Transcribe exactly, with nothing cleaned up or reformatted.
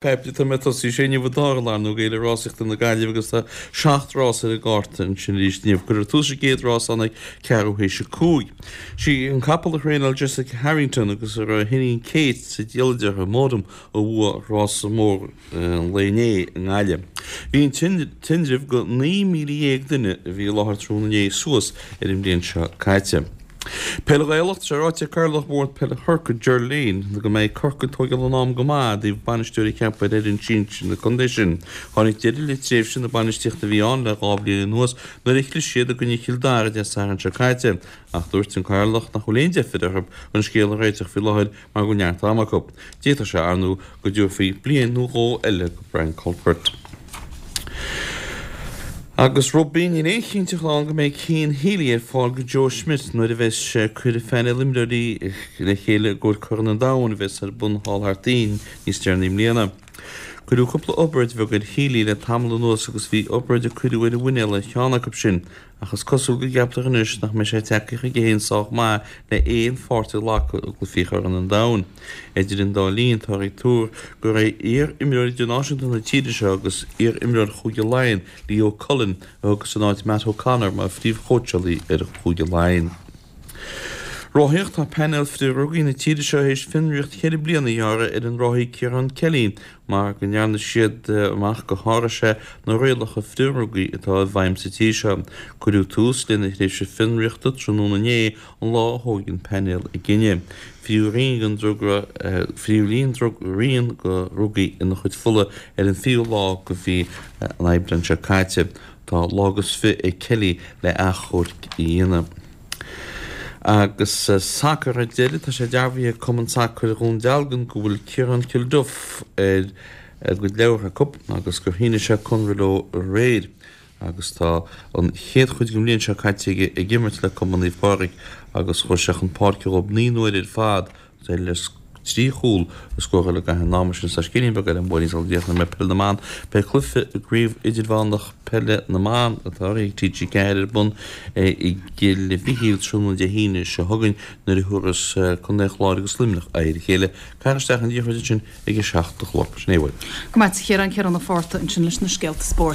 Poiblí tá mé tosaí sé inniu an dara lá ar ndóigh d'Fhéile Rásaíochta na Gaillimhe agus tá seacht rás ar an gcárta ansin arís inniu. Cuirfear tús an gcéad rás ann ag ceathrú théis a cúig. Sí an capall a thraenáil Jessica Harrington agus a raibh a hiníon Kate sa diallait uirthi, Modum, a bhuaigh rása mór an lae inné i nGaillimh. Bhí an tinreamh go naoi míle dhéag duine a bhí i láthair tráthnóna inné suas ar an mbliain seo caite. Peil Ghaelach, Tá sé ráite ag Cathaoirleach Bhord Peile Chorcaí, Ger Lane, go mbeidh Corcaigh ag tógáil an am go maith i dtaobh bainisteoir a cheapadh ar fhoireann sinsir na contae sin. Tháinig deireadh le tréimhse na bainistíochta a bhí ann le dhá bhliain anuas nuair a chlis siad i gcoinne Chill Dara Dé Sathairn seo caite. Ach dúirt an Cathaoirleach nach bhfuil aon deifir orthu an scéal a réiteach faoi láthair mar go bhfuil neart ama acu. D'fhéadfadh sé, ar ndóigh, go dtabharfaí bliain nó dhó eile go Brian Cuthbert. Agus rugbaí, níl aon chinnteacht ann go mbeidh Cian Healy ar fáil go Joe Schmidt nuair a bheas sé ag cur a phainéal imreoirí le chéile i gcomhair Corn an Domhain a bheas ar bun thall thar toinn níos deireanaí i mbliana. Cuireadh cúpla obráid bheag ar Healy le tamall anuas agus bhí obráid a cuireadh ar a mhuinéal ar cheann acu sin Ach is cosúil go gceaptar anois nach mbeidh sé tagtha chuige féin sách maith le aon pháirt a ghlacadh i gcluichí Chorn an Domhain. Idir an dá linn, táthar ag tuar gur é iar-imreoir idirnáisiúnta na tíre seo agus iar-imreoir Chúige Laighean, Leo Cullen, a thiocfas in áit Matt O'Connor mar phríomhchóitseálaí ar Chúige Laighean. Rothaíocht Tá painéal frith-dhrugaí na tíre seo théis fionraíocht cheithre bliana a ghearradh ar an rothaí Ciarán Kelly mar go ndearna siad amach gur sháraigh sé na rialacha frith-dhrugaí atá i bhfeidhm sa tír seo. Cuireadh tús lena thréimhse fionraíochta tráthnóna inné, an lá a thóg an painéal a gcinneadh. Fríothadh rian den druga fríothadh rian drug rian de dhrugaí ina chuid fola ar an fichiú lá de mhí an Aibreáin seo caite. Tá lá agus fiche ag Kelly le achomharc a dhéanamh. Agus sacar ar deireadh, tá sé dearbhaithe ag Cumann Sacair Dhún Dealgan go bhfuil Ciarán Kilduff ar a gcuid leabhar acu agus gur shínigh sé conradh leo aréir agus tá an chéad chuid den bhliain seo caite aige ag imirt le Cumann Naomh Pádraig agus chuaigh sé chun páirce dhóibh naoi n-uaire ar fad le trí chúl a scóráil i gcaitheamh an ama sin. Tá scéilín beag eile an bhuailín sula dtéann mé Peil na mBan. Beidh cluiche i gCraobh Idirmheánach Peile na mBan atá urraithe ag T G ceathair ar bun i gCill Mhichíl tráthnóna Dé hAoine seo chugainn nuair a thabharfas Contae an Chláir agus Luimneach aghaidh ar a chéile. Caithfear isteach an liathróid ansin ag a seacht a chlog. Sin é uaim. Go maith, a Chiaráin, Ciarán Ó Fátharta ansin leis na scéalta spóirt.